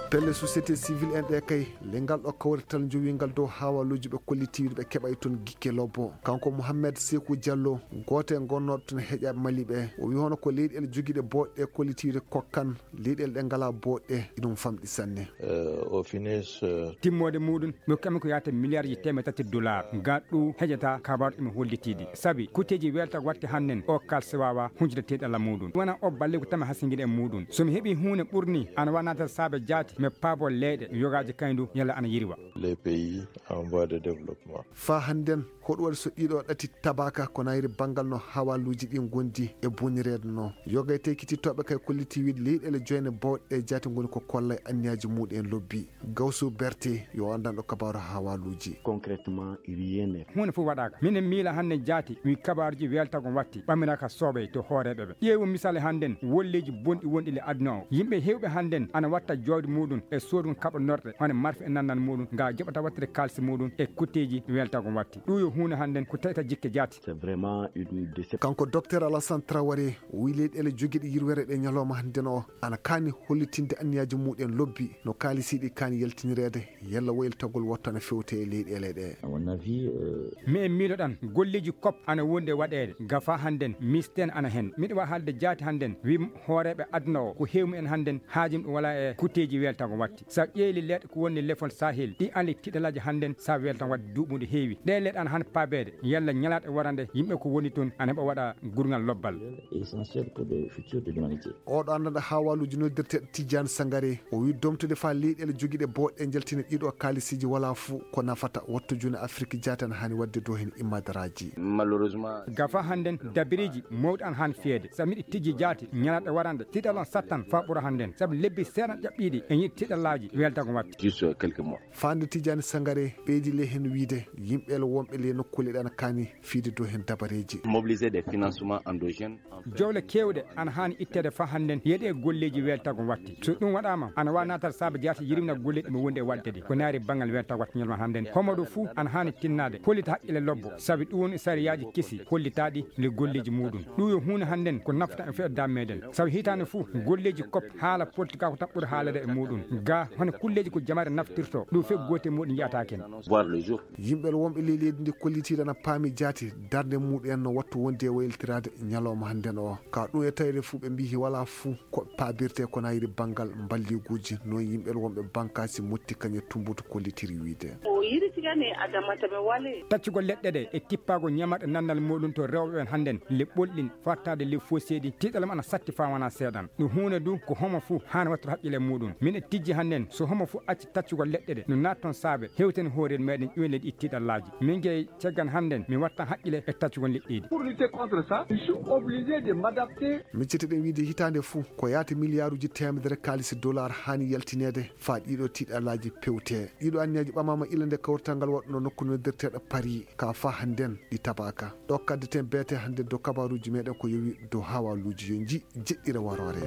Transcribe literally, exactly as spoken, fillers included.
Pelle société civile en ɗe kay, lengal ɗo kawrital njowingal dow hawaluuji ɓe kollitiiɗo ɓe keɓay toon gikke lobbo. Kanko Mouhamed Sekou Diallo, gooto e gonnooɗo toon heƴa Mali ɓe, o wi hono ko leyɗeele jogiiɗe booɗɗe kollitiiɗe kokkan leyɗeele ɗe ngalaa booɗɗe, iɗum famɗi sanne. Euh, au finish, euh, Timmoode muɗum, mi hokkami ko yaata miliyarji teemeɗe tati dollar. Ga ɗu heƴata kabaru emi hollitiiɗi. Sabi, kuteeji welta waɗte hannden o kalse waawa hunjude teeɗalla muɗum. Wona o balle ko tama hasingiɗe e muɗum. So mi heɓi huunde ɓurni, ana wa natal saabe jaati, mi paabo leyɗe, yogaaji kayndu, yalla ana yirwa. Les pays en voie de développement. Faa hannden, hoɗum waɗi so ɗiɗo ɗati tabaka ko nayri banngal no hawaluuji ɗi ngondi e bonireede no? Yogay tekititooɓe kay kolliti wiide leyɗeele joyne bawɗe jaati ngoni ko kollay anniyaaji muɗum en lobbi. Gawsu Berte yo anndanɗo kabaaru hawaluuji. Concrètement, rien n'est. Huunde fof waɗaaka. Minen miila hannden jaati, wi kabaaruji weltago watti, ɓamiraaka soobay to hooreeɓe ɓe. Ƴeewu misal hannden, wolleeji bonɗi wonɗi le aduna o. Yimɓe heewɓe hannden ana watta jawdi muɗum e soodun kaɓa norɗe, hono marfe e nannal muɗum, nga joɓata wattude kaalisi muɗum e kutteeji weltago watti. Ɗum yo huunde hannden ko taƴata jikke jaati. C'est vraiment une déception. Kanko Docteur Alassane Traoré, o wi leyɗeele jogiiɗe yirwere ɗe ñalawma hannden o, ana kaani hollitinde anniyaaji muɗum en lobbi, no kaalisiiɗi kaani yaltinireede, yalla woylatagol wattu ana fewte e leyɗeele ɗe. À mon avis, euh, Mi en miiloɗan, golleeji kop ana wondi e waɗeede, gafa hannden, misten ana hen. Miɗo wa haalde jaati hannden, wi hooreeɓe aduna o, ko heewi en hannden, haajum ɗum wala e kutteeji weltago watti. Sa ƴeeli leɗɗe ko woni lefol Sahel, ɗi ali tiɗalaaji hannden, sa weltan wadde duuɓude heewi. Ɗe leɗɗe ana han paabeede, yalla ñalaɗe warande, yimɓe ko woni toon, ana heɓa waɗa gurngal lobbal. Essentiel pour le futur de l'humanité. Oɗo anndanɗo hawaluuji noddirteeɗo Tijjani Sangare, o wi domtude faa leyɗeele jogiiɗe booɗɗe njaltina ɗiɗo kaalisiiji wala fuu ko nafata, wattu june Afrik jaati ana haani waɗde dow heen immadaraaji. Malheureusement. Gafa hannden dabiriiji mawɗi ana haani fiyeede. Sa miɗi tijji jaati ñalaɗe warande, tiɗal on sattan faa ɓura hannden. Sabu lebbi seeɗa ƴaɓɓiiɗi e yiɗi tiɗalaaji weltago watti. Juste quelques mois. Faande Tijjani Sangare ɓeydi le heen wiide yimɓe le wonɓe le nokkuule ɗe ana kaani fiide dow heen dabareeji. Mobiliser des financements endogènes. Jowle keewɗe ana haani itteede faa hannden yeɗe e golleeji weltago watti. So ɗum waɗaama, ana waawi naataade saabe jaati yirimna golleeji ɗi mo wondi e waɗde ɗi. Ko naari banngal weltago watti ñalma hannden. Homo ɗo fuu ana haani tinnaade, hollita haqqille lobbo. Sabi ɗum woni sariyaaji kesi hollitaaɗi le golleeji muɗum. Ɗum yo huunde hannden ko nafata e feɗe dam meɗen. Sabi hitaande fuu golleeji kop haala politika ko taɓɓude haalade e muɗum. Ga hono kulleeji ko jamaare naftirto, ɗum fe goote muɗum yiyataake en. Voir le jour. Yimɓe wonɓe ley leydi ndi kollitiiɗo ana paami jaati darnde muɗum en no wattu wondi e waylitiraade ñalawma hannden o. Ka ɗum e tawde fuu ɓe mbiyi wala fuu ko paabirte ko nayri banngal mballiguuji, noon yimɓe wonɓe bankaasi motti kañe tumbutu kollitiri wiide. O yiri tigane adamata ɓe wale. Taccugol leɗɗe ɗe e tippaago ñamarɗe nannal muɗum to rewɓe ɓen hannden le ɓolɗin fartaade le foseeɗi tiɗalam ana satti faa wona seeɗan. Ɗum huunde du ko homo fuu haani wattude haqqille muɗum. Min e tijji hannden so homo fuu acci taccugol leɗɗe ɗe no naat toon saabe hewten hoorel meɗen ƴuwen leɗɗi tiɗallaaji. Min gey caggan hannden mi watta haqqille e taccugol leɗɗeeɗi. Pour lutter contre ça, je suis obligé de m'adapter. Miccete ɗen wiide hitaande fuu ko yaata miliyaaruuji teemedere kaalisi dollar haani yaltineede faa ɗiɗo tiɗallaaji pewte. Ɗiɗo anniyaji ɓamaama ila nde kawrital ngal waɗno nokku noddirteeɗo Paris ka faa hannden ɗi tabaaka. Ɗo kaddeten beete hannden dow kabaaruuji meɗen ko yowi dow hawaluuji yo nji jeɗɗire waroore.